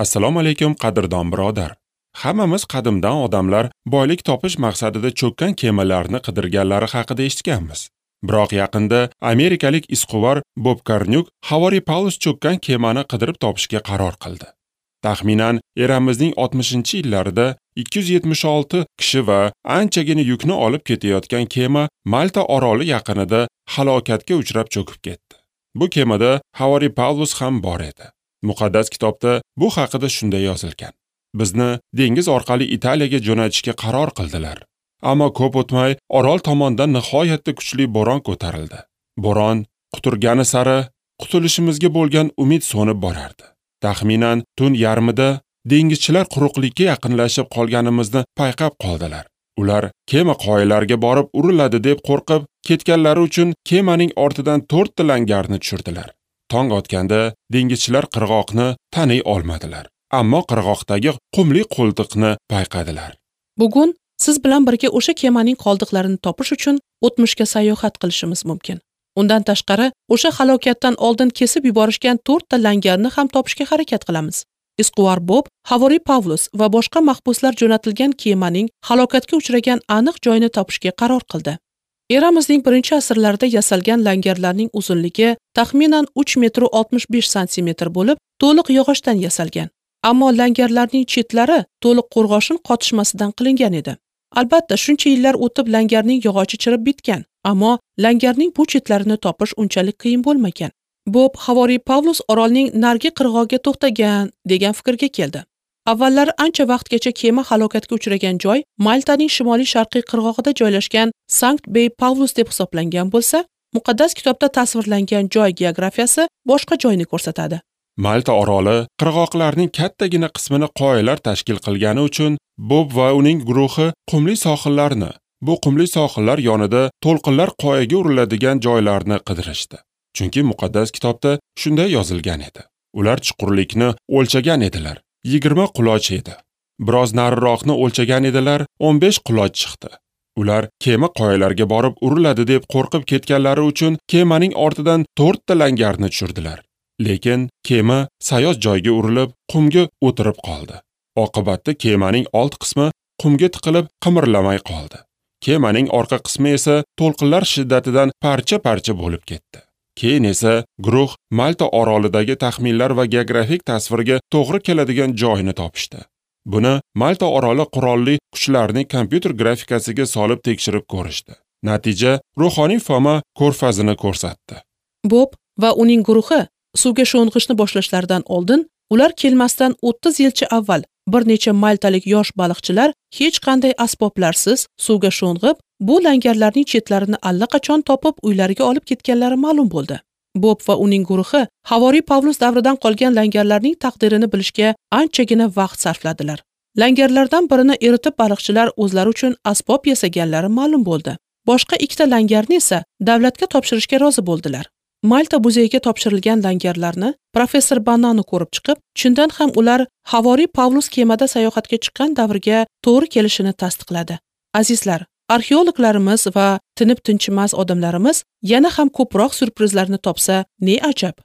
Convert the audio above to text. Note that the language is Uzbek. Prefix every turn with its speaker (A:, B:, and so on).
A: Assalomu alaykum qadrdon birodar. Hammamiz qadimdan odamlar boylik topish maqsadida cho'kkan kemalarni qidirganlari haqida eshitganmiz. Biroq yaqinda amerikalik izquvar Bob Karnyuk Havoriy Pavlus cho'kkan kemani qidirib topishga qaror qildi. Taxminan eramizning 60-yillarida 276 kishi va anchagina yukni olib ketayotgan kema Malta oroli yaqinida halokatga uchrab cho'kib ketdi. Bu kemada Havoriy Pavlus ham bor edi. Muqaddas kitobda bu haqida shunday yozilgan. Bizni dengiz orqali Italiyaga jo'natishga qaror qildilar. Ammo ko'p o'tmay orol tomondan nihoyatda kuchli bo'ron ko'tarildi. Bo'ron quturgani sari qutulishimizga bo'lgan umid so'nib borardi. Taxminan tun yarmida dengizchilar quruqlikka yaqinlashib qolganimizni payqab qoldilar. Ular kema qoyalarga borib uriladi deb qo'rqib, ketganlari uchun kemaning ortidan 4 ta langarni tushirdilar. Tong otganda dengizchilar qirg'oqni taniy olmadilar. Ammo qirg'oqdagi qumli qo'ltiqni payqadilar.
B: Bugun siz bilan birga o'sha kemaning qoldiqlarini topish uchun o'tmishga sayohat qilishimiz mumkin. Undan tashqari, o'sha halokatdan oldin kesib yuborishgan 4 ta langarni ham topishga harakat qilamiz. Izquvar Bob, Havoriy Pavlus va boshqa mahbuslar jo'natilgan kemaning halokatga uchragan aniq joyini topishga qaror qildi. Eramizning 1-asrlarida yasalgan langarlarning uzunligi taxminan 3 metr 65 santimetr bo'lib, to'liq yog'ochdan yasalgan. Ammo langarlarning chetlari to'liq qo'rg'oshin qotishmasidan qilingan edi. Albatta, shuncha yillar o'tib langarning yog'ochi chirib bitgan, ammo langarning bu chetlarini topish unchalik qiyin bo'lmagan. Bob Havoriy Pavlus orolning nargi qirg'og'iga to'xtagan degan fikrga keldi. Avvallari ancha vaqtgacha kema halokatga uchragan joy Maltaning shimoliy-sharqiy qirg'og'ida joylashgan Sankt Bey Pavlus deb hisoblangan bo'lsa, muqaddas kitobda tasvirlangan joy geografiyasi boshqa joyni ko'rsatadi.
A: Malta oroli qirg'oqlarning kattagina qismini qoyalar tashkil qilgani uchun Bob va uning guruhi qumli sohillarni, bu qumli sohillar yonida to'lqinlar qoyaga uriladigan joylarni qidirishdi. Chunki muqaddas kitobda shunday yozilgan edi. Ular chuqurlikni o'lchagan edilar. 20 quloch edi. Biroz nariroqni o'lchagan edilar, 15 quloch chiqdi. Ular kema qoyalarga borib uriladi deb qo'rqib ketganlari uchun kemaning ortidan 4 ta langarni tushirdilar. Lekin kema sayoz joyga urilib, qumga o'tirib qoldi. Oqibatda kemaning old qismi qumga tiqilib, qimirlamay qoldi. Kemaning orqa qismi esa to'lqinlar shiddatidan parcha-parcha bo'lib ketdi. Keyin esa guruh Malta orolidagi taxminlar va geografik tasvirga to'g'ri keladigan joyini topishdi. Buni Malta oroli qurolli kuchlarining kompyuter grafikasiga solib tekshirib ko'rishdi. Natija ruhoniy Foma ko'rfazini ko'rsatdi.
B: Bob va uning guruhi suvga sho'ng'ishni boshlashlaridan oldin ular kelmasdan 30 yilcha avval bir necha maltalik yosh baliqchilar hech qanday asboblarsiz suvga sho'ng'ib, bu langarlarning chetlarini allaqachon topib uylariga olib ketganlari ma'lum bo'ldi. Bob va uning guruhi Havoriy Pavlus davridan qolgan langarlarning taqdirini bilishga anchagina vaqt sarfladilar. Langarlardan birini eritib baliqchilar o'zlari uchun asbob yasaganlari ma'lum bo'ldi. Boshqa ikkita langarni esa davlatga topshirishga rozi bo'ldilar. Malta muzeyiga topshirilgan langarlarni professor Banano ko'rib chiqib, chindan ham ular Havoriy Pavlus kemada sayohatga chiqqan davrga to'g'ri kelishini tasdiqladi. Azizlar, arxeologlarimiz va tinib-tinchimas odamlarimiz yana ham ko'proq syurprizlarni topsa, ne ajab.